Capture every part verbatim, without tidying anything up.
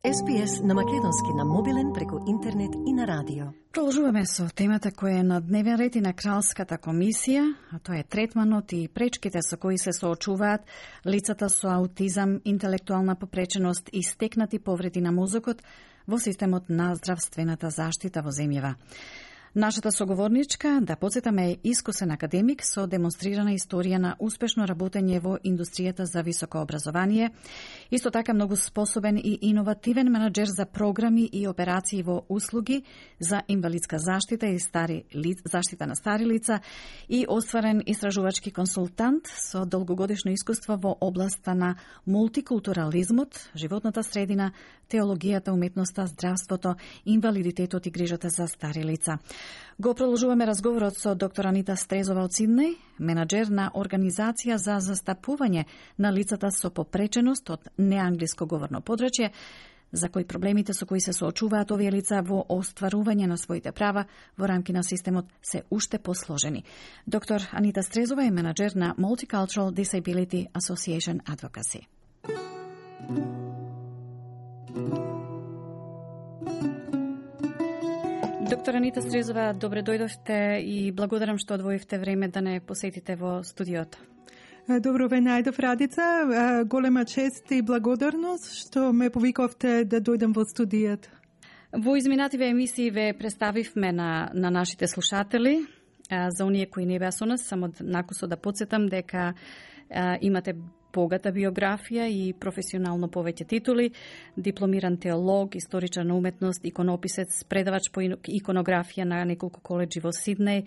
Ес Би Ес на македонски на мобилен преку интернет и на радио. Продолжуваме со темата која е на дневен ред и на Кралската комисија, а тоа е третманот и пречките со кои се соочуваат лицата со аутизам, интелектуална попреченост и стекнати повреди на мозокот во системот на здравствената заштита во земјава. Нашата соговорничка, да подсетаме, е искусен академик со демонстрирана историја на успешно работење во индустријата за високо образование, исто така многу способен и иновативен менаџер за програми и операции во услуги за инвалидска заштита и стари ли, заштита на стари лица и остварен истражувачки консултант со долгогодишно искуство во областа на мултикултурализмот, животната средина, теологијата, уметноста, здравството, инвалидитетот и грижата за стари лица. Го продолжуваме разговорот со доктор Анита Стрезова од Сиднеј, менаџер на Организација за застапување на лицата со попреченост од неанглиско говорно подрачје, за кои проблемите со кои се соочуваат овие лица во остварување на своите права во рамки на системот се уште посложени. Доктор Анита Стрезова е менаџер на Multicultural Disability Association Advocacy. Доктор Анита Стрезова, добре дојдовте и благодарам што одвоивте време да не посетите во студиото. Добро ве најдов, Радица. Голема чест и благодарност што ме повикавте да дојдам во студијата. Во изминативе емисии ве представивме на, на нашите слушатели. За оние кои не беа со нас, само накусо да подсетам дека а, имате богата биографија и професионално повеќе титули, дипломиран теолог, историчар на уметност, иконописец, предавач по иконографија на неколку коледжи во Сиднеј,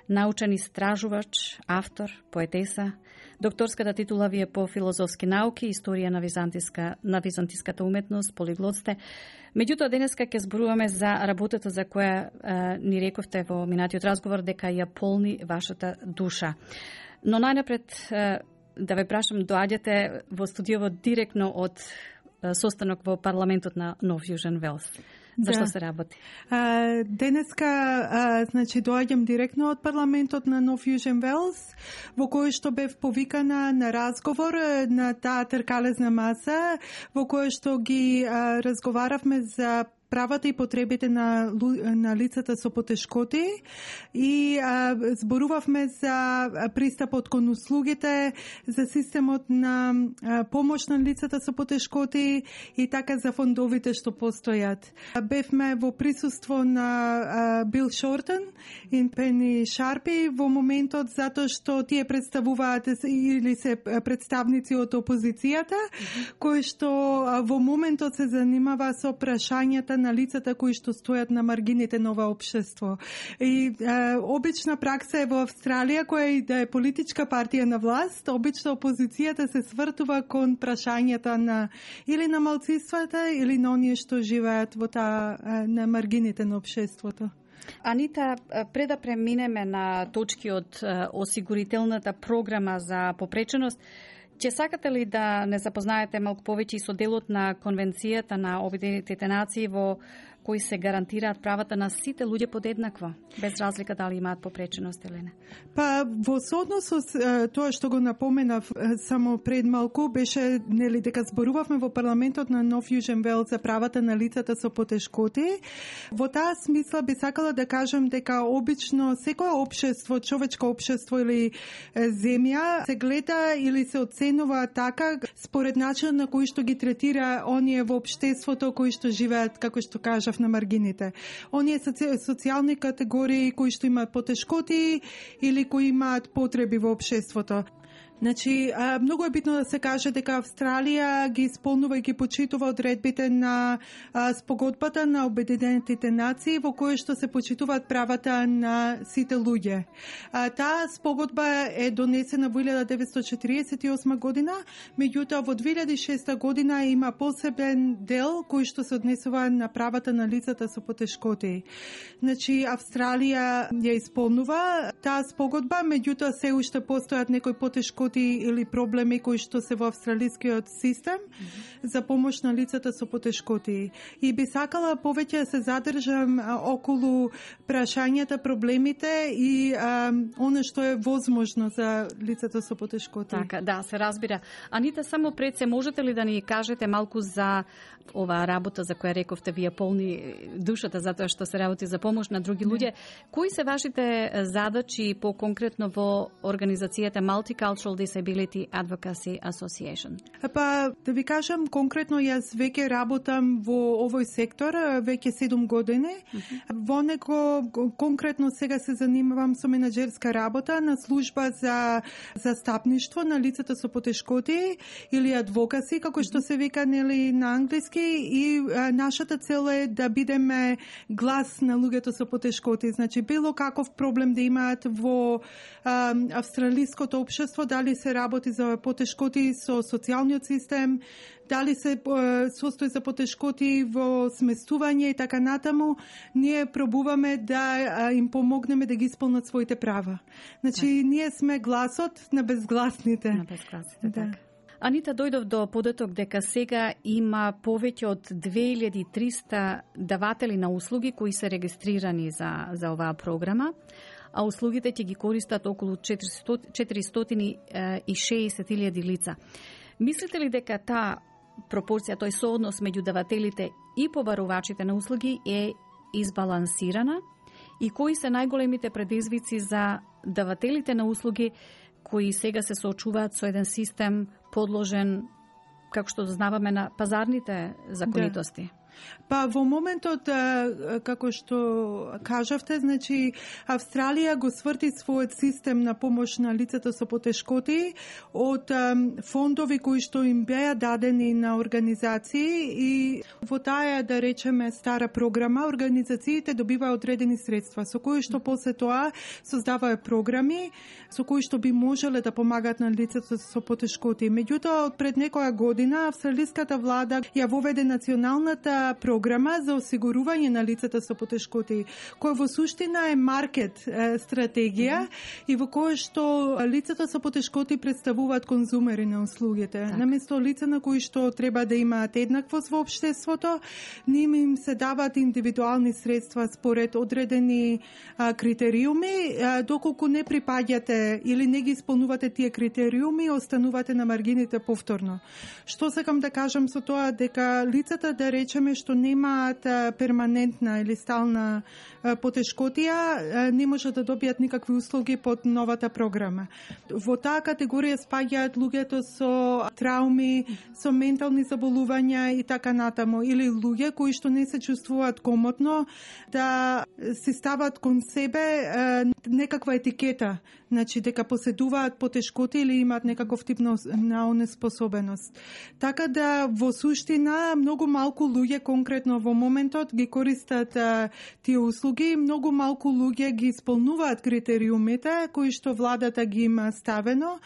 научен истражувач, автор, поетеса. Докторската титула ви е по филозофски науки, историја на византиска на византиската уметност, полиглот сте. Меѓутоа денеска ќе зборуваме за работата за која а, ни рековте во минатиот разговор дека ја полни вашата душа. Но најнапред а, да ве прашам, доаѓате во студиово директно од состанок во парламентот на Нов Јужен Велс. Зашто да. се работи? А, денеска а, значи доаѓам директно од парламентот на Нов Јужен Велс, во кој што бев повикана на разговор на таа тркалезна маса, во кој што ги а, разговаравме за правата и потребите на, на лицата со потешкоти и а, зборувавме за пристапот кон услугите, за системот на а, помош на лицата со потешкоти и така за фондовите што постојат. Бевме во присуство на а, Бил Шортен и Пени Шарпи во моментот затоа што тие представуваат или се представници од опозицијата, mm-hmm. кои што а, во моментот се занимава со прашањата на лицата кои што стојат на маргините на ова општество. И е, обична пракса е во Австралија, која и да е политичка партија на власт, обично опозицијата се свртува кон прашањата на или на малцинствата или на оние што живеат во таа на маргините на општеството. Анита, пред да преминеме на точки од осигурителната програма за попреченост, ќе сакате ли да не запознаете малку повеќе и со делот на Конвенцијата на Обединетите нации во кои се гарантираат правата на сите луѓе подеднакво, без разлика дали имаат попреченост или не? Па во сооднос со тоа што го напоменав само пред малку, беше нели дека зборувавме во парламентот на Нов Јужен Велс за правата на лицата со потешкоти. Во таа смисла би сакала да кажам дека обично секое општество, човечко општество или земја се гледа или се оценува така според начинот на кој што ги третира оние во општеството кои што живеат, како што кажа, на маргините. Оние социјални категории кои што имаат потешкоти или кои имаат потреби во општеството. Значи, а, многу е битно да се каже дека Австралија ги исполнува и ги почитува одредбите на а, спогодбата на Обединетите нации во која што се почитуваат правата на сите луѓе. А, таа спогодба е донесена во илјада деветстотини четиридесет и осма година, меѓутоа во две илјади и шеста година има посебен дел кој што се однесува на правата на лицата со потешкоти. Значи, Австралија ја исполнува таа спогодба, меѓутоа се уште постојат некои потешкоти потешкоти или проблеми кои што се во австралискиот систем mm-hmm. за помош на лицата со потешкоти. И би сакала повеќе да се задржам а, околу прашањата, проблемите и а, оно што е возможно за лицата со потешкоти. Така, да, се разбира. Анита, само пред се можете ли да ни кажете малку за оваа работа за која рековте вие полни душата затоа што се работи за помош на други луѓе? Кои се вашите задачи по-конкретно во организацијата Multicultural Disability Advocacy Association? Па, да ви кажам, конкретно јас веќе работам во овој сектор, веќе седум години. Mm-hmm. Во него, конкретно сега се занимавам со менаџерска работа на служба за застапништво на лицата со потешкоти или адвокаси, како што се вика нели на англиски, и а, нашата цел е да бидеме глас на луѓето со потешкоти. Значи, било каков проблем да имаат во а, австралиското општество, дали се работи за потешкоти со социјалниот систем, дали се состои за потешкоти во сместување и така натаму, ние пробуваме да им помогнеме да ги исполнат своите права. Значи, да. Ние сме гласот на безгласните. На безгласните, да. Така. Анита, дојдов до податок дека сега има повеќе од две илјади и триста даватели на услуги кои се регистрирани за, за оваа програма, а услугите ќе ги користат околу четиристотини и шеесет илјади лица. Мислите ли дека таа пропорција, тој сооднос меѓу давателите и побарувачите на услуги е избалансирана? И кои се најголемите предизвици за давателите на услуги кои сега се соочуваат со еден систем подложен, како што дознаваме, на пазарните законитости? Да. Па во моментот, како што кажавте, значи Австралија го сврти својот систем на помош на лицата со потешкоти од фондови кои што им беа дадени на организации, и во таа, да речеме, стара програма организациите добиваа одредени средства со кои што после тоа создаваа програми со кои што би можеле да помагаат на лицата со потешкоти. Меѓутоа, пред некоја година австралиската влада ја воведе националната програма за осигурување на лицата со потешкоти, која во суштина е маркет е, стратегија mm-hmm. и во која што лицата со потешкоти представуваат конзумери на услугите. Так. Наместо лица на кои што треба да имаат еднаквост во општеството, ним им се даваат индивидуални средства според одредени а, критериуми, а, доколку не припаѓате или не ги исполнувате тие критериуми, останувате на маргините повторно. Што сакам да кажам со тоа, дека лицата, да речеме, што немаат перманентна или стална потешкотија, не можат да добијат никакви услуги под новата програма. Во таа категорија спаѓаат луѓето со трауми, со ментални заболувања и така натаму, или луѓе кои што не се чувствуваат комотно да се стават кон себе некаква етикета, значи дека поседуваат потешкоти или имаат некаков тип на онеспособеност. Така да во суштина многу малку луѓе конкретно во моментот ги користат а, тие услуги, многу малку луѓе ги исполнуваат критериумите кои што владата ги има ставено,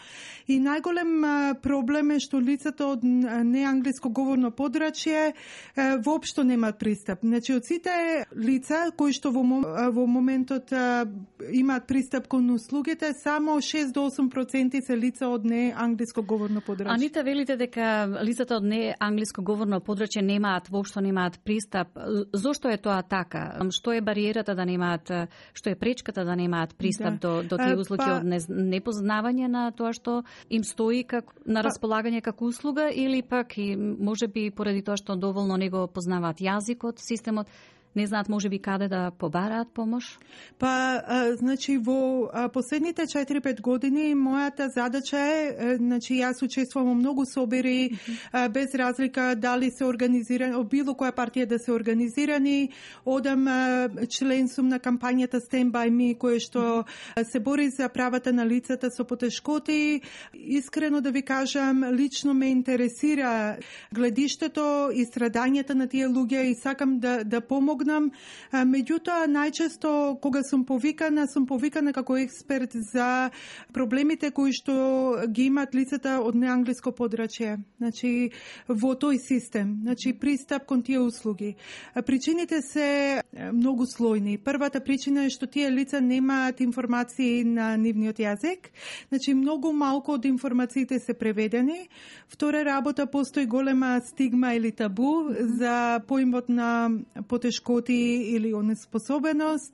и најголем а, проблем е што лицата од неанглиско говорно подрачје а, воопшто немаат пристап. Значи, од сите лица кои што во, во моментот а, имаат пристап кон услугите, само шест до осум проценти се лица од неанглиско говорно подрачје. Анита, велите дека лицата од неанглиско говорно подрачје немаат, воопшто немаат пристап. Зошто е тоа така? Што е бариерата да немаат, што е пречката да немаат пристап да. до, до тие услуги, па... од непознавање на тоа што им стои как, на располагање како услуга, или пак и можеби поради тоа што доволно не го познаваат јазикот, системот, не знаат можеби каде да побараат помош? Па, а, значи, во а, последните четири-пет години мојата задача е, а, значи, јас учествувам во многу собери, mm-hmm. а, без разлика дали се организирани, од било која партија да се организирани, одам а, член сум на кампањата Stand By Me, која што mm-hmm. се бори за правата на лицата со потешкоти. Искрено да ви кажам, лично ме интересира гледиштето и страдањата на тие луѓе и сакам да, да помогнам помогнам. Меѓутоа, најчесто кога сум повикана, сум повикана како експерт за проблемите кои што ги имаат лицата од неанглиско подрачје. Значи, во тој систем, значи пристап кон тие услуги. Причините се многу слојни. Првата причина е што тие лица немаат информации на нивниот јазик. Значи, многу малку од информациите се преведени. Втора работа, постои голема стигма или табу за поимот на потешкоти или онеспособеност.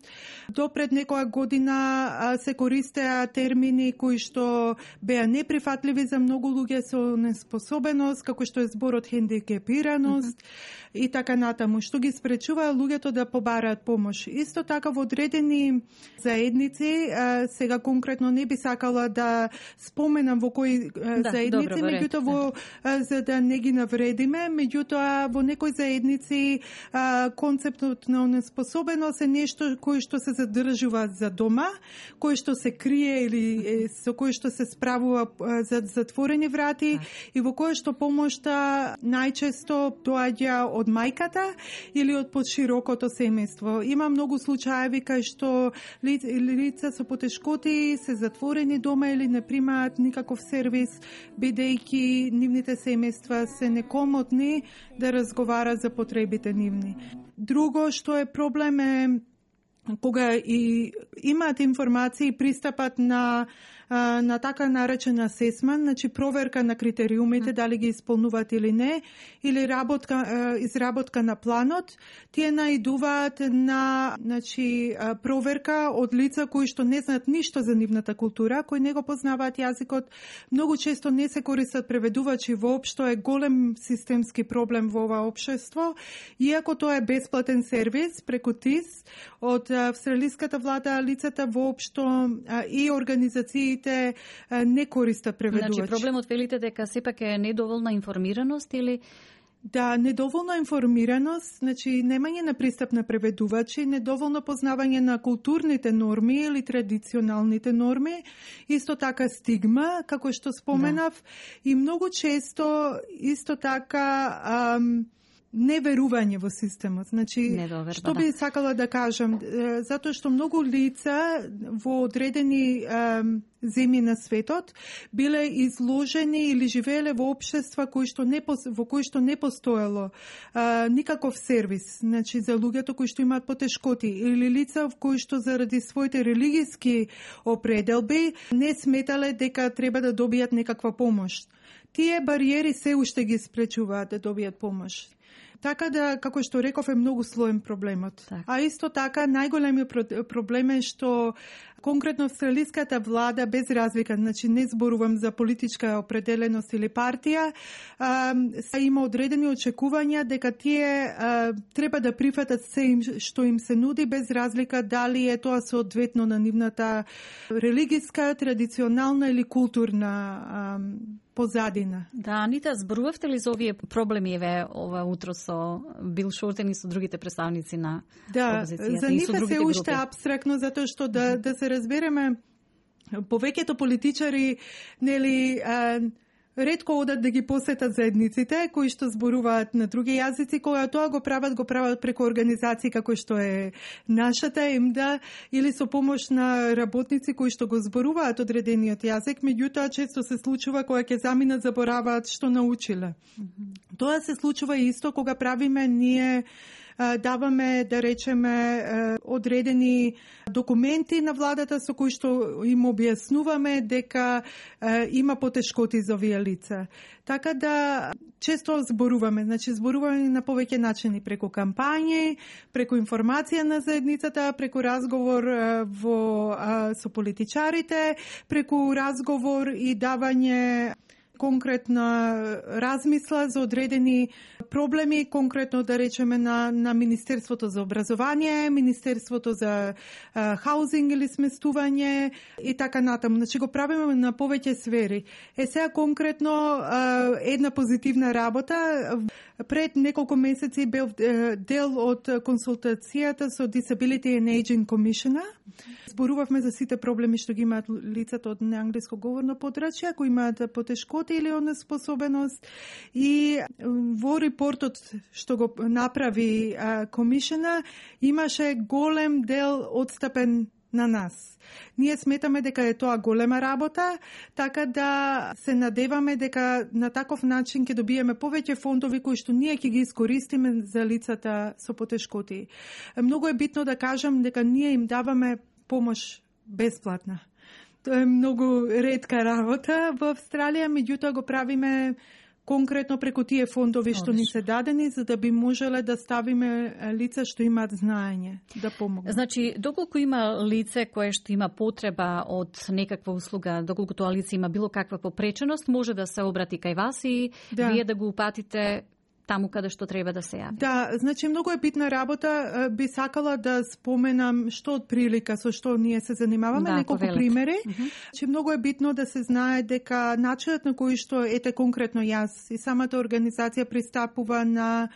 До пред некоја година се користеа термини кои што беа неприфатливи за многу луѓе со неспособеност, како што е зборот хендикепираност mm-hmm. и така натаму, што ги спречува луѓето да побараат помош. Исто така во одредени заедници, сега конкретно не би сакала да споменам во кои да, заедници, меѓутоа во за да не ги навредиме, меѓутоа во некои заедници концептот на неспособеност е нешто кое што се задржува за дома, кое што се крие или со кое што се справува за затворени врати и во кое што помошта најчесто доаѓа од мајката или од подширокото семејство. Има многу случаеви кај што лица со потешкоти се затворени дома или не примаат никаков сервис, бидејќи нивните семејства се некомотни да разговара за потребите нивни. Друго што е проблем е кога и имаат информации и пристапат на на така наречен асесмент, значи проверка на критериумите, дали ги исполнуваат или не, или работка, изработка на планот, тие наидуваат на значи, проверка од лица кои што не знаат ништо за нивната култура, кои не го познаваат јазикот, многу често не се користат преведувачи воопшто, е голем системски проблем во ова општество, иако тоа е бесплатен сервис преку ТИС од австралиската влада, лицата воопшто и организациите не користат преведувач. Значи, проблемот велите дека сепак е недоволна информираност или... Да, недоволна информираност, значи немање на пристап на преведувачи, недоволно познавање на културните норми или традиционалните норми, исто така стигма, како што споменав, да. И многу често исто така... Ам, неверување во системот. Значи, Недоверба, што би да. сакала да кажам, затоа што многу лица во одредени е, земји на светот биле изложени или живееле во општества кои што не во кои што не постоело е, никаков сервис, значи за луѓето кои што имаат потешкоти или лица кои што заради своите религиски определби не сметале дека треба да добијат некаква помош. Тие бариери се уште ги спречуваат да добијат помош. Така да, како што реков, е многу слоен проблемот. Так. А исто така, најголемиот проблем е што конкретно австралиската влада, без разлика, значи не зборувам за политичка определеност или партија, а, има одредени очекувања дека тие а, треба да прифатат се им, што им се нуди, без разлика дали е тоа соодветно на нивната религиска, традиционална или културна а, позадина. Да, Анита, зборувавте ли за овие проблеми еве ова утро со Бил Шортен и со другите представници на да, опозицијата? За нив се уште апстрактно, затоа што да, да се разбереме, повеќето политичари, нели, а, ретко одат да ги посетат заедниците кои што зборуваат на други јазици, кога тоа го прават, го прават преку организации како што е нашата ЕМДА или со помош на работници кои што го зборуваат одредениот јазик, меѓутоа често се случува кога ќе заминат забораваат што научиле. Mm-hmm. Тоа се случува исто кога правиме ние даваме, да речеме, одредени документи на владата со кои што им објаснуваме дека има потешкоти за овие лица. Така да често зборуваме, значи зборуваме на повеќе начини, преку кампањи, преку информација на заедницата, преку разговор во со политичарите, преку разговор и давање конкретна размисла за одредени проблеми, конкретно да речеме на, на Министерството за образование, Министерството за а, хаузинг или сместување и така натаму. Значи го правиме на повеќе сфери. Е сега конкретно а, една позитивна работа Пред неколку месеци бев дел од консултацијата со Disability and Aging Commissioner. Зборувавме за сите проблеми што ги имаат лицата од неанглиско говорно подрачје, кои имаат потешкоти или онеспособеност. И во репортот што го направи комишена имаше голем дел одстапен на нас. Ние сметаме дека е тоа голема работа, така да се надеваме дека на таков начин ќе добиеме повеќе фондови кои што ние ќе ги искористиме за лицата со потешкоти. Многу е битно да кажам дека ние им даваме помош бесплатна. Тоа е многу ретка работа во Австралија, меѓутоа го правиме конкретно преку тие фондови што ни се дадени, за да би можеле да ставиме лица што имаат знаење да помогнат. Значи, доколку има лице кое што има потреба од некаква услуга, доколку тоа лице има било каква попреченост, може да се обрати кај вас и да. Вие да го упатите таму каде што треба да се јави. Да, значи многу е битна работа. Би сакала да споменам што од прилика со што ние се занимаваме, да, неколку повелете. Примери. Uh -huh. Че многу е битно да се знае дека начинот на кој што ете конкретно јас и самата организација пристапува на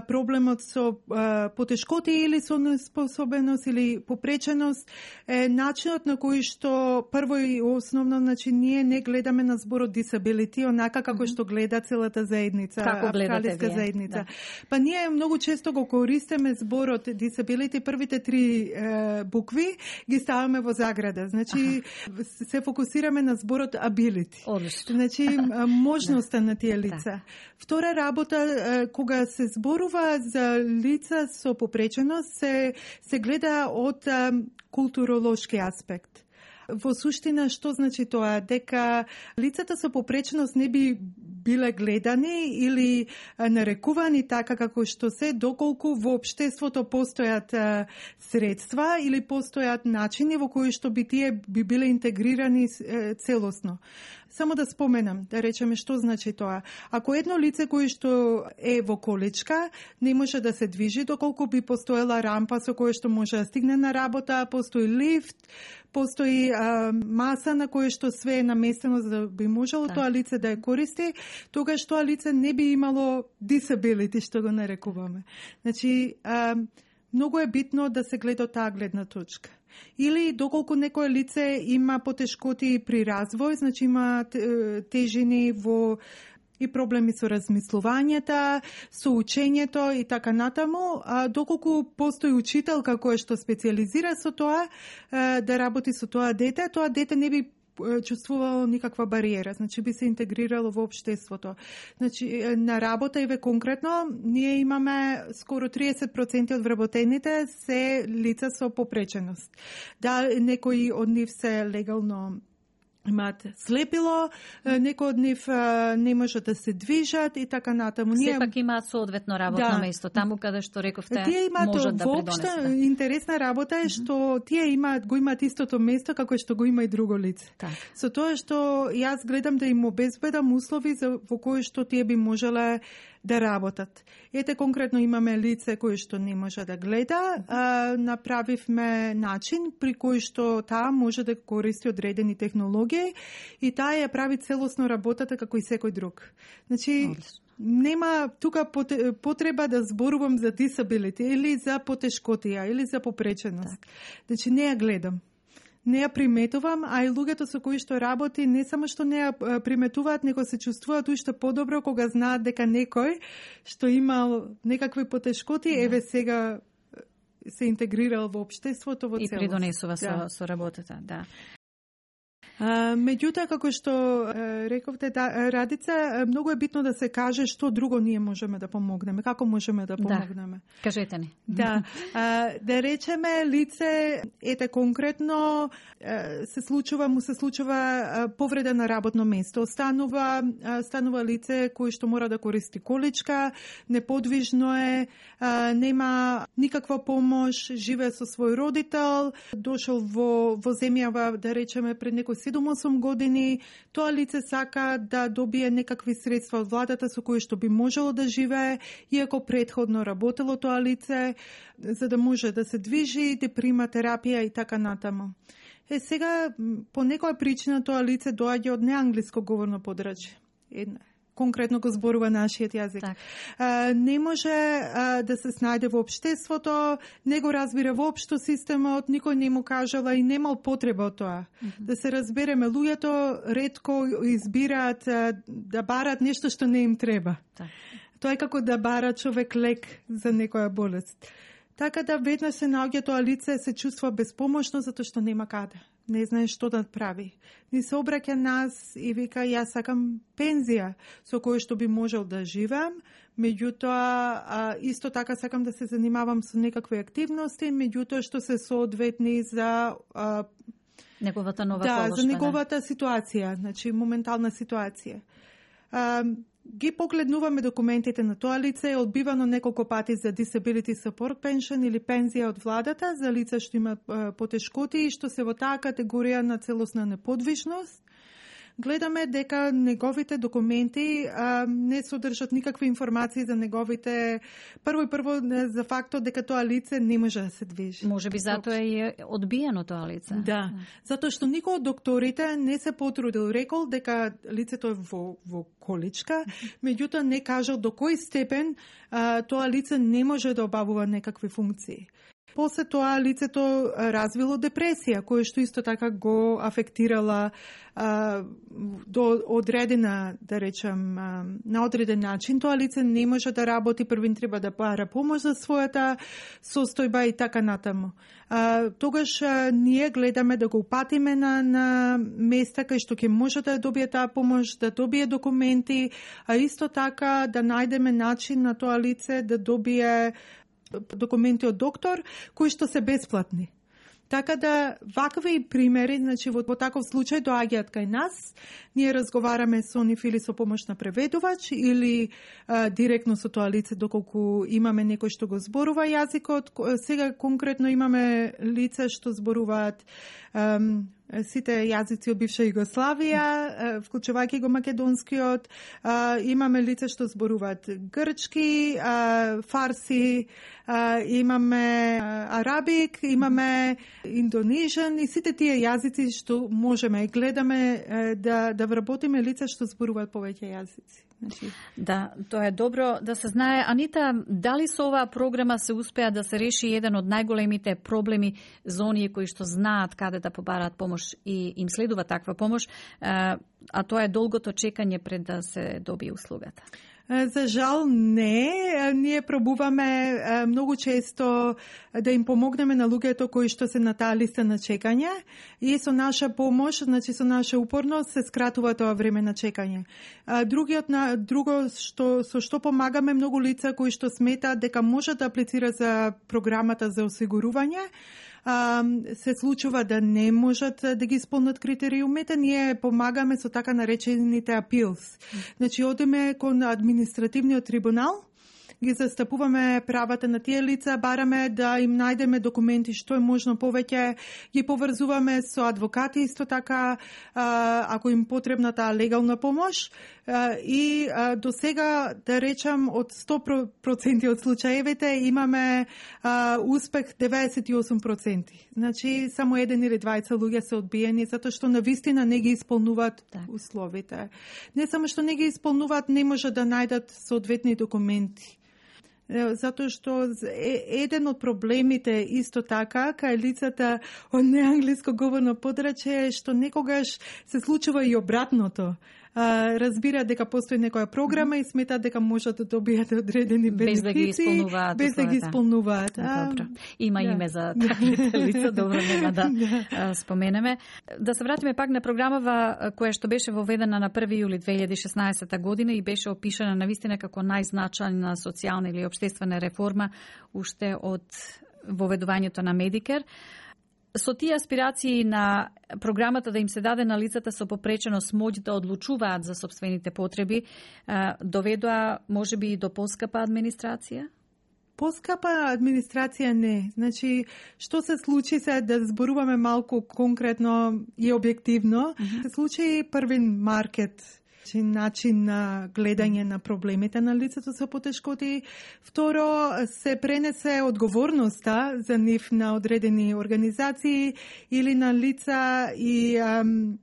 проблемот со а, потешкоти или со неспособеност или попреченост е начинот на кој што прво и основно, значи ние не гледаме на зборот disability онака како што гледа целата заедница, австралиска заедница. Да. Па ние многу често го користиме зборот disability, првите три е, букви ги ставаме во заграда. Значи аха. Се фокусираме на зборот ability. Одлично. Значи можноста на тие лица. Да. Втора работа е, кога се зборува за лица со попреченост се, се гледа од а, културолошки аспект. Во суштина, што значи тоа? Дека лицата со попреченост не би биле гледани или а, нарекувани така како што се, доколку во општеството постојат а, средства или постојат начини во кои што би тие би биле интегрирани а, целосно. Само да споменам, да речеме што значи тоа. Ако едно лице кој што е во количка не може да се движи, доколку би постоела рампа со која што може да стигне на работа, постои лифт, постои а, маса на која што све е наместено за да би можело да. Тоа лице да ја користи, тогаш тоа лице не би имало disability, што го нарекуваме. Значи, а, многу е битно да се гледа таа гледна точка. Или доколку некое лице има потешкоти при развој, значи има тежини во и проблеми со размислувањето, со учењето и така натаму, а доколку постои учителка која што специализира со тоа, да работи со тоа дете, тоа дете не би чувствувало никаква бариера, значи би се интегрирало во општеството. Значи на работа и ве конкретно ние имаме скоро триесет проценти од вработените се лица со попреченост. Да, некои од нив се легално имаат слепило, некои од нив не можат да се движат и така натаму. Ние сепак имаат соодветно работно да. Место таму каде што рековте можат да придонесат. Интересна работа е што mm -hmm. тие имаат го имаат истото место како што го има и друго лице. Так. Со тоа што јас гледам да им обезбедам услови за во кои што тие би можеле да работат. Ете конкретно имаме лице кој што не може да гледа, а, направивме начин при кој што таа може да користи одредени технологии и таа ја прави целосно работата како и секој друг. Значи, нема тука потреба да зборувам за disability или за потешкотија или за попреченост. Так. Значи, не ја гледам. Не ја приметувам, а и луѓето со кои што работи не само што не ја приметуваат, него се чувствуваат уште подобро кога знаат дека некој што имал некакви потешкоти, да. Еве сега се интегрирал во општеството во целост. И придонесува да. со, со работата, да. А, меѓутоа, како што е, рековте, да, Радица, многу е битно да се каже што друго ние можеме да помогнеме, како можеме да помогнеме. Да, кажете ни. Да, а, да речеме лице, ете конкретно, е, се случува, му се случува е, повреда на работно место. Станува, е, станува лице кој што мора да користи количка, неподвижно е, е, нема никаква помош, живее со свој родител, дошол во, во земјава, да речеме, пред некој седум-осум години, тоа лице сака да добие некакви средства од владата со кои што би можело да живее, иако предходно работело тоа лице, за да може да се движи, да прима терапија и така натаму. Е, сега, по некоја причина тоа лице доаѓа од неанглиско говорно подрачје. Една конкретно го зборува нашиот јазик. Так. А, не може а, да се снајде во општеството, не го разбира воопшто системот, никој не му кажала и немал потреба од тоа. Mm-hmm. Да се разбереме, луѓето ретко избираат а, да барат нешто што не им треба. Так. Тоа е како да бара човек лек за некоја болест. Така да веднаш се наоѓа тоа лице, се чувства безпомошно затоа што нема каде. Не знае што да прави. Ни се обраќа нас и вика, јас сакам пензија со која што би можел да живеам, меѓутоа а, исто така сакам да се занимавам со некакви активности, меѓутоа што се соодветни за а, неговата нова да, положба. за неговата ситуација, значи моментална ситуација. А, ги погледнуваме документите на тоа лице, е одбивано неколку пати за disability support pension или пензија од владата за лица што имаат потешкоти и што се во таа категорија на целосна неподвижност. Гледаме дека неговите документи а, не содржат никакви информации за неговите, прво и прво за фактот дека тоа лице не може да се движи. Може би затоа е одбиено тоа лице. Да, затоа што никој од докторите не се потрудил, рекол дека лицето е во, во количка, меѓутоа не кажал до кој степен а, тоа лице не може да обавува некакви функции. После тоа лицето развило депресија, која што исто така го афектирала а, до одредена, да речем, а, на одреден начин. Тоа лице не може да работи, првин треба да бара помош за својата состојба и така натаму. А, тогаш а, ние гледаме да го упатиме на, на места кај што ќе може да добие таа помош, да добие документи, а исто така да најдеме начин на тоа лице да добие документи од доктор, кои што се бесплатни. Така да, вакви примери, значи во, во таков случај доаѓаат кај нас, ние разговараме со нив или со помош на преведувач или а, директно со тоа лице доколку имаме некој што го зборува јазикот. Сега конкретно имаме лица што зборуваат ам, сите јазици од бивша Југославија, вклучувајќи го македонскиот, имаме лица што зборуваат грчки, фарси, имаме арабик, имаме индонежен и сите тие јазици што можеме и гледаме да да вработиме лица што зборуваат повеќе јазици. Значи... Да, тоа е добро да се знае. Анита, дали со оваа програма се успеа да се реши еден од најголемите проблеми за оние кои што знаат каде да побараат помош и им следува таква помош, а тоа е долгото чекање пред да се добие услугата? За жал не. Ние пробуваме многу често да им помогнеме на луѓето кои што се на таа листа на чекање и со наша помош, значи со наша упорност се скратува тоа време на чекање. Другиот на друго што со што помагаме многу лица кои што сметаат дека можат да аплицира за програмата за осигурување, се случува да не можат да ги исполнат критериумите, ние помагаме со така наречените апилс. Значи, одиме кон административниот трибунал, ги застапуваме правата на тие лица, бараме да им најдеме документи што е можно повеќе, ги поврзуваме со адвокати исто така, ако им потребна таа легална помош. И до сега, да речам, од сто проценти од случаевите имаме успех деветдесет и осум проценти. Значи, само еден или двајца луѓе се одбиени, затоа што навистина не ги исполнуваат так. условите. Не само што не ги исполнуваат, не може да најдат соодветни документи. Затоа што еден од проблемите исто така кај лицата од неанглиско говорно подрачје е што некогаш се случува и обратното. Разбираат дека постои некоја програма и сметаат дека можат да добијат одредени бенефици без да ги исполнуваат. Без да ги исполнуваат. Добро. Има да. име за таквите лица, добро нема да, да споменеме. Да се вратиме пак на програмава која што беше воведена на први јули две илјади и шеснаесета година и беше опишана навистина како најзначајна социјална или општествена реформа уште од воведувањето на Медикер. Со тие аспирации на програмата да им се даде на лицата со попреченост моќ да одлучуваат за сопствените потреби, доведоа можеби и до поскапа администрација? Поскапа администрација не. Значи, што се случи се да зборуваме малку конкретно и објективно, mm-hmm. се случи првин маркет, начин на гледање на проблемите на лицето со потешкоти. Второ, се пренесе одговорноста за нив на одредени организации или на лица и ам,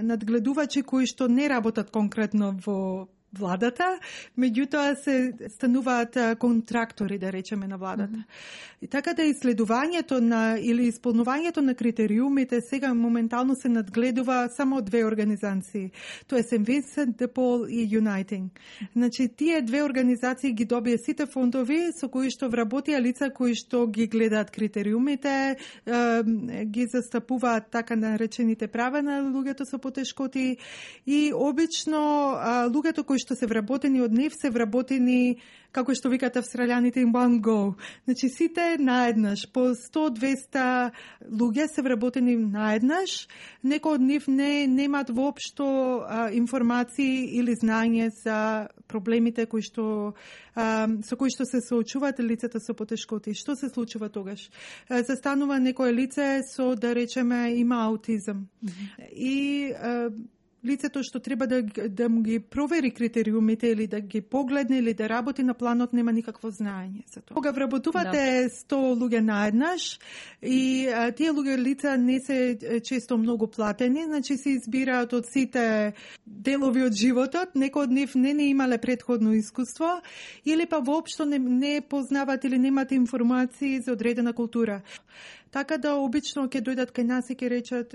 надгледувачи кои што не работат конкретно во владата, меѓутоа се стануваат контрактори, да речеме, на владата. Mm-hmm. И така да исследувањето на или исполнувањето на критериумите сега моментално се надгледува само од две организации. Тоа е Сент Винсент де Пол и Uniting. Значи тие две организации ги добија сите фондови со кои што вработија лица кои што ги гледаат критериумите, ги застапуваат така наречените права на луѓето со потешкоти и обично луѓето кои што се вработени од нив се вработени, како што викаат австралијаните, in one go. Значи сите наеднаш, по сто до двесте луѓе се вработени наеднаш, некои од нив не немаат воопшто а, информации или знаење за проблемите кои што а, со кои што се соочуваат лицата со потешкоти. Што се случува тогаш? А, застанува некое лице со, да речеме, има аутизам. Mm-hmm. И а, лицето што треба да, да му ги провери критериумите или да ги погледне или да работи на планот нема никакво знаење за тоа. Кога вработувате сто луѓе наеднаш и а, тие луѓе лица не се често многу платени, значи се избираат од сите делови од животот, некои од нив не не имале претходно искуство или па воопшто не, не познават или немат информации за одредена култура. Така да обично ќе дојдат кај нас и ќе речат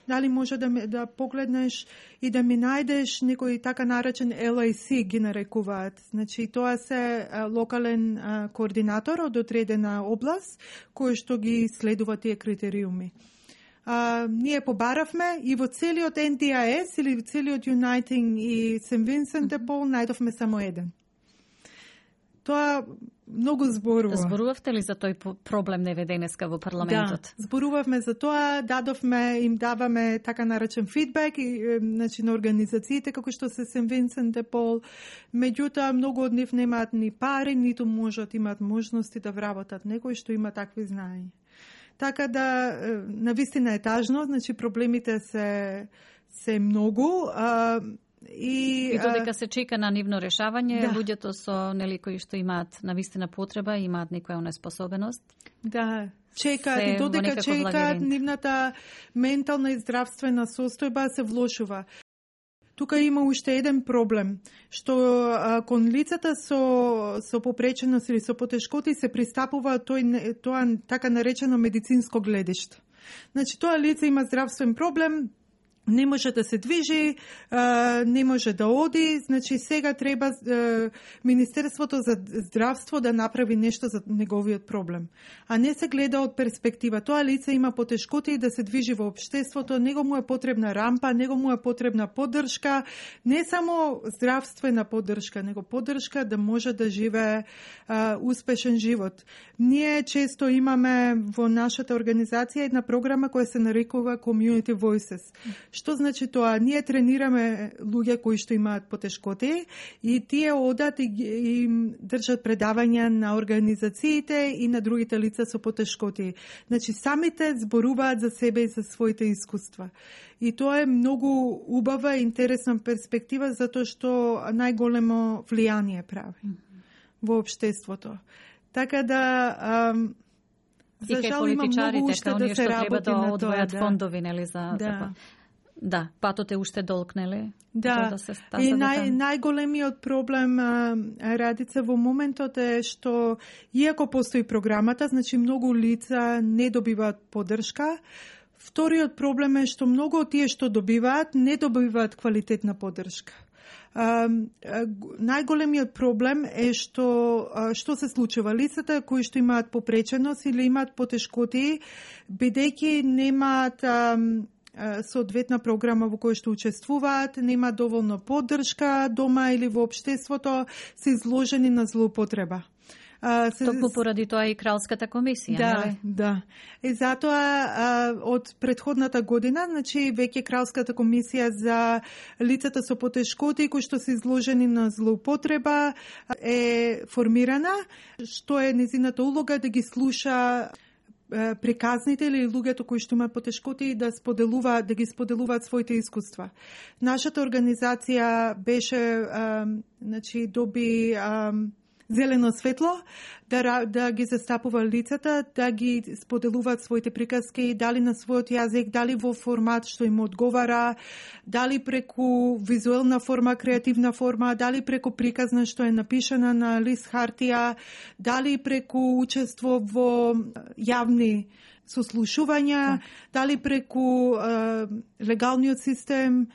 дали може да, ме, да погледнеш и да ми најдеш некој така наречен Ел Ей Си ги нарекуваат. Значи тоа се а, локален а, координатор од одредена област кој што ги следува тие критериуми. А, ние побаравме и во целиот Ен Ди Ай Ес или целиот Uniting и Сент Винсент де Пол најдовме само еден. Тоа многу зборува. Зборувавте ли за тој проблем неве денеска во парламентот? Да, зборувавме за тоа, дадовме, им даваме така наречен фидбек и, значи, на организациите како што се Сент Винсент де Пол. Меѓутоа, многу од нив немаат ни пари, ниту можат имаат можности да вработат некој што има такви знаења. Така да, навистина е тажно, значи проблемите се, се многу, а, И, и додека се чека на нивно решавање, да. Луѓето со нели кои што имаат навистина потреба, имаат некоја неспособеност. Да, чекаат и додека чекаат, нивната ментална и здравствена состојба се влошува. Тука има уште еден проблем, што а, кон лицата со, со попреченост или со потешкоти се пристапува тој, тоа така наречено медицинско гледиште. Значи, тоа лице има здравствен проблем, не може да се движи, не може да оди, значи сега треба Министерството за здравство да направи нешто за неговиот проблем. А не се гледа од перспектива. Тоа лице има потешкоти да се движи во општеството, него му е потребна рампа, него му е потребна поддршка, не само здравствена поддршка, него поддршка да може да живее а, успешен живот. Ние често имаме во нашата организација една програма која се нарекува Community Voices. Што значи тоа? Ние тренираме луѓе кои што имаат потешкоти и тие одат и, и држат предавања на организациите и на другите лица со потешкоти. Значи самите зборуваат за себе и за своите искуства. И тоа е многу убава и интересна перспектива затоа што најголемо влијание прави во општеството. Така да ам, и кај политичарите, као ние што треба да одвојат фондови, нели, за да. така. Да, патот е уште долг, нели? Да, да се и нај, најголемиот проблем, а, Радица, во моментот е што, иако постои програмата, значи многу лица не добиваат поддршка. Вториот проблем е што многу од тие што добиваат, не добиваат квалитетна поддршка. А, а, најголемиот проблем е што а, што се случува. Лицата кои што имаат попреченост или имаат потешкоти, бидејќи немаат а, соодветна програма во која што учествуваат, нема доволно поддршка дома или во општеството, се изложени на злоупотреба. А, се... Токму поради тоа и Кралската комисија, да, нели? Да, и затоа а, од предходната година, значи веќе Кралската комисија за лицата со потешкоти кои што се изложени на злоупотреба е формирана, што е незината улога да ги слуша приказните или луѓето кои што имаат потешкоти да споделуваат, да ги споделуваат своите искуства. Нашата организација беше, а, значи, доби а, зелено светло, да, да ги застапува лицата, да ги споделуваат своите приказки, дали на својот јазик, дали во формат што им одговара, дали преку визуелна форма, креативна форма, дали преку приказна што е напишана на лист хартија, дали преку учество во јавни сослушувања, дали преку е, легалниот систем,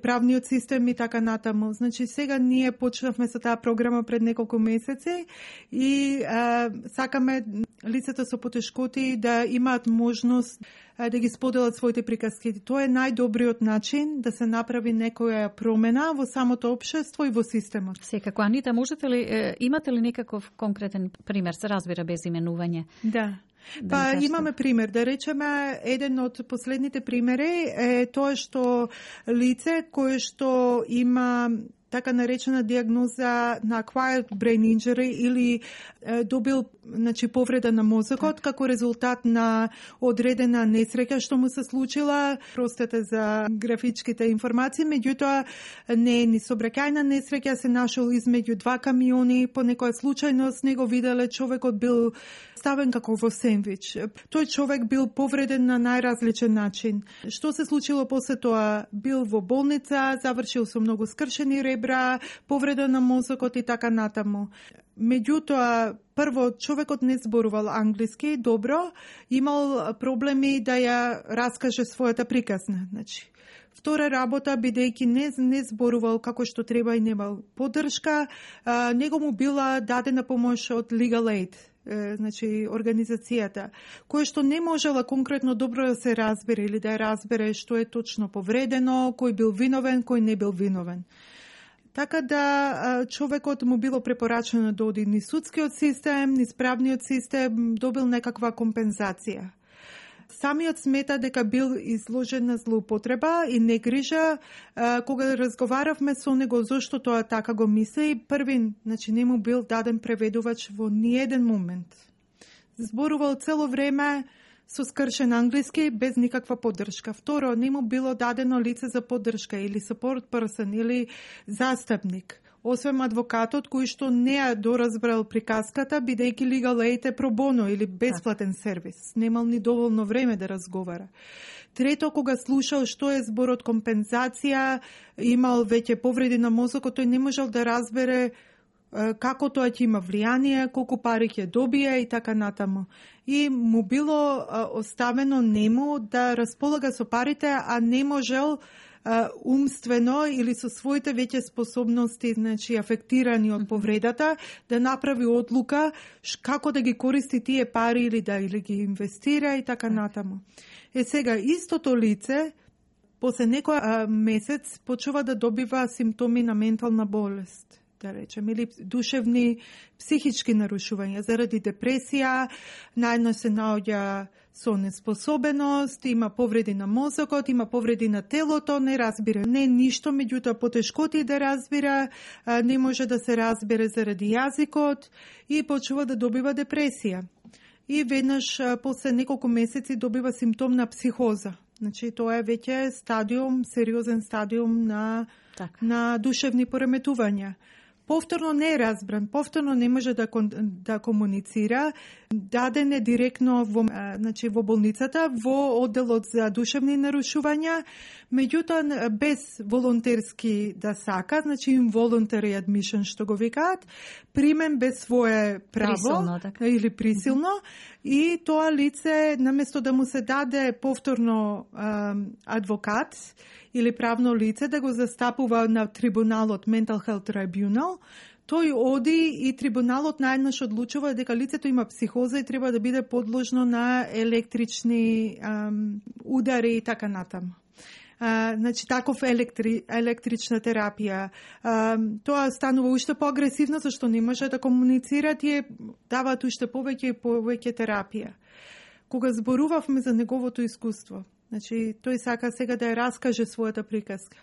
правниот систем и така натаму. Значи, сега ние почнавме со таа програма пред неколку месеци и е, сакаме лицата со потешкоти да имаат можност е, да ги споделат своите приказки. Тоа е најдобриот начин да се направи некоја промена во самото општество и во системот. Секако. Анита, можете ли, е, имате ли некаков конкретен пример, се разбира без именување? Да. Да, па имаме пример, да речеме, еден од последните примери е тоа што лице кое што има така наречена диагноза на acquired brain injury или е, добил значи повреда на мозокот так. како резултат на одредена несреќа што му се случила. Простете за графичките информации, меѓутоа не е ни собраќајна несреќа, се нашол измеѓу два камиони, по некоја случајност него виделе човекот бил ставен како во сендвич. Тој човек бил повреден на најразличен начин. Што се случило после тоа? Бил во болница, завршил со многу скршени ребра, повреда на мозокот и така натаму. Меѓутоа, прво, човекот не зборувал англиски добро, имал проблеми да ја раскаже својата приказна. Значи, втора работа, бидејќи не, не зборувал како што треба и немал поддршка, а, него му била дадена помош од Legal Aid, е, значи организацијата, која што не можела конкретно добро да се разбере или да ја разбере што е точно повредено, кој бил виновен, кој не бил виновен. Така да човекот му било препорачено да оди низ судскиот систем, низ правниот систем, добил некаква компензација. Самиот смета дека бил изложен на злоупотреба и негрижа. Кога разговаравме со него зошто тоа така го мисли, првин, значи не му бил даден преведувач во ниеден момент. Зборувал цело време со скршен англиски без никаква поддршка. Второ, не му било дадено лице за поддршка или support person или застапник. Освен адвокатот кој што не ја доразбрал приказката, бидејќи Legal Aid е про боно или бесплатен сервис. Немал ни доволно време да разговара. Трето, кога слушал што е зборот компензација, имал веќе повреди на мозокот, тој не можел да разбере како тоа ќе има влијание, колку пари ќе добие и така натаму. И му било оставено нему да располага со парите, а не можел умствено или со своите веќе способности, значи афектирани од повредата, да направи одлука како да ги користи тие пари или да или ги инвестира и така натаму. Е сега истото лице после некој месец почува да добива симптоми на ментална болест, да речем, или душевни, психички нарушувања заради депресија, наедно се наоѓа со неспособеност, има повреди на мозокот, има повреди на телото, не разбира не ништо, меѓутоа потешкоти да разбира, не може да се разбере заради јазикот и почува да добива депресија. И веднаш после неколку месеци добива симптом на психоза. Значи тоа е веќе стадиум, сериозен стадиум на, так. на душевни пореметувања. Повторно не е разбран, повторно не може да, да комуницира, даден е директно во, значи, во болницата, во одделот за душевни нарушувања, меѓутоа без волонтерски да сака, значи involuntary admission што го викаат, примен без свое право присилно, така. Или присилно, mm-hmm. и тоа лице наместо да му се даде повторно um, адвокат или правно лице да го застапува на трибуналот Mental Health Tribunal, тој оди и трибуналот наеднаш одлучува дека лицето има психоза и треба да биде подложно на електрични ам, удари и така натаму. А, значи, таков електри, електрична терапија. А, тоа станува уште поагресивно, зашто не може да комуницира, тие даваат уште повеќе и повеќе терапија. Кога зборувавме за неговото искуство, значи, тој сака сега да ја раскаже својата приказка.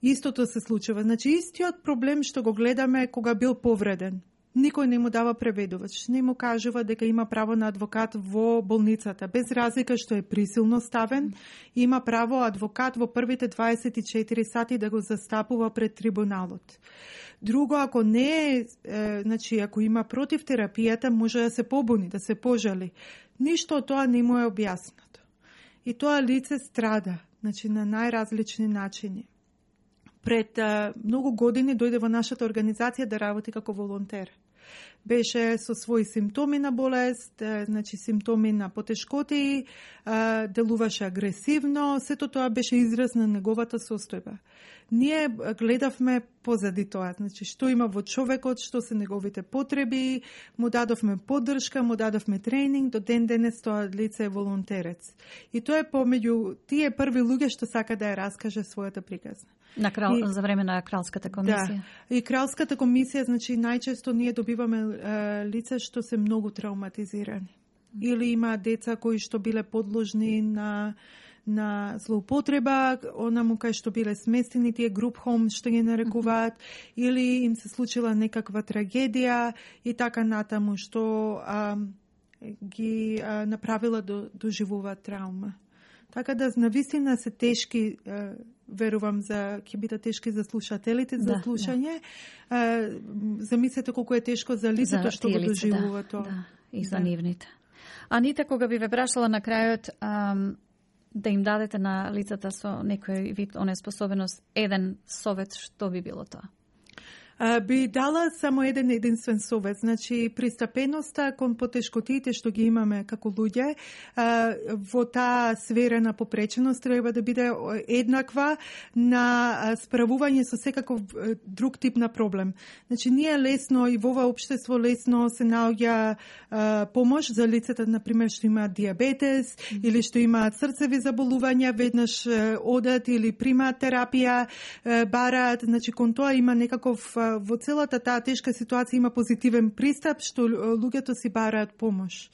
Истото се случува. Значи, истиот проблем што го гледаме кога бил повреден. никој не му дава преведувач, не му кажува дека има право на адвокат во болницата, без разлика што е присилно ставен, има право адвокат во првите дваесет и четири сати да го застапува пред трибуналот. Друго, ако не е, е, значи, ако има против терапијата, може да се побуни, да се пожали. Ништо од тоа не му е објаснато. И тоа лице страда, значи, на најразлични начини. Пред а, многу години дојде во нашата организација да работи како волонтер. Беше со своји симптоми на болест, значи симптоми на потешкоти, делуваше агресивно, сето тоа беше израз на неговата состојба. Ние гледавме позади тоа, значи што има во човекот, што се неговите потреби, му дадовме поддршка, му дадовме тренинг, до ден денес тоа лице е волонтерец. И тоа е помеѓу тие први луѓе што сака да ја раскаже својата приказна. На крал, и, за време на кралската комисија. Да, и кралската комисија, значи најчесто ние добиваме е, лица што се многу травматизирани. Или има деца кои што биле подложни на на злоупотреба, онаму кај што биле сместени тие груп хом што ги нарекуваат, mm-hmm. или им се случила некаква трагедија и така натаму што а, ги а, направила да доживуваат травма. Така да навистина се тешки, а, верувам за ќе бидат тешки за слушателите за да, слушање. Да. А, замислете колку е тешко за лицето што го доживува да, тоа. Да, и за да. нивните. Анита, кога би ве прашала на крајот ам, да им дадете на лицата со некој вид онеспособеност еден совет, што би било тоа? Uh, би дала само еден единствен совет. Значи, пристапеноста кон потешкотиите што ги имаме како луѓе, uh, во таа сфера на попреченост треба да биде еднаква на справување со секаков друг тип на проблем. Значи, ние лесно и во ова општество лесно се наоѓа uh, помош за лицата, например, што имаат диабетес mm-hmm. или што имаат срцеви заболувања, веднаш uh, одат или примаат терапија, uh, бараат. Значи, кон тоа има некаков во целата таа тешка ситуација има позитивен пристап што луѓето си бараат помош.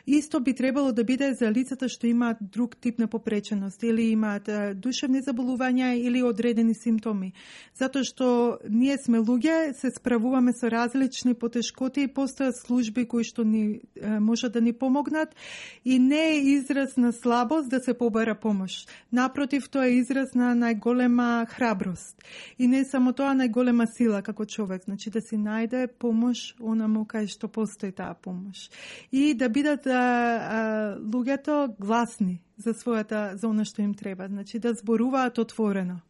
Исто би требало да биде за лицата што имаат друг тип на попреченост или имаат душевни заболувања или одредени симптоми. Затоа што ние сме луѓе, се справуваме со различни потешкоти и постојат служби кои што ни можат да ни помогнат и не е израз на слабост да се побара помош. Напротив, тоа е израз на најголема храброст. И не само тоа, најголема сила како човек, значи да си најде помош онаму кај што постои таа помош. И да бидат а, а, луѓето гласни за својата, за она што им треба, значи да зборуваат отворено.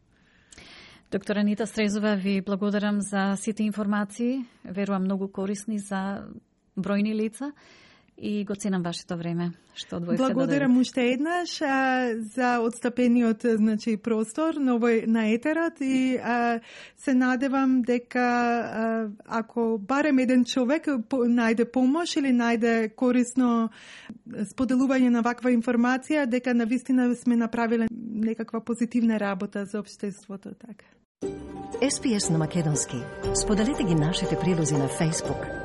Доктор Анита Стрезова, ви благодарам за сите информации, верувам многу корисни за бројни лица. И го ценам вашето време што одвоивте да Благодарам уште еднаш а, за одстапениот, значи, простор на овој на етерот и а, се надевам дека а, ако барем еден човек по, најде помош или најде корисно споделување на ваква информација, дека навистина сме направиле некаква позитивна работа за општеството. Така. Ес Пи Ес на македонски. Споделете ги нашите прилози на Facebook,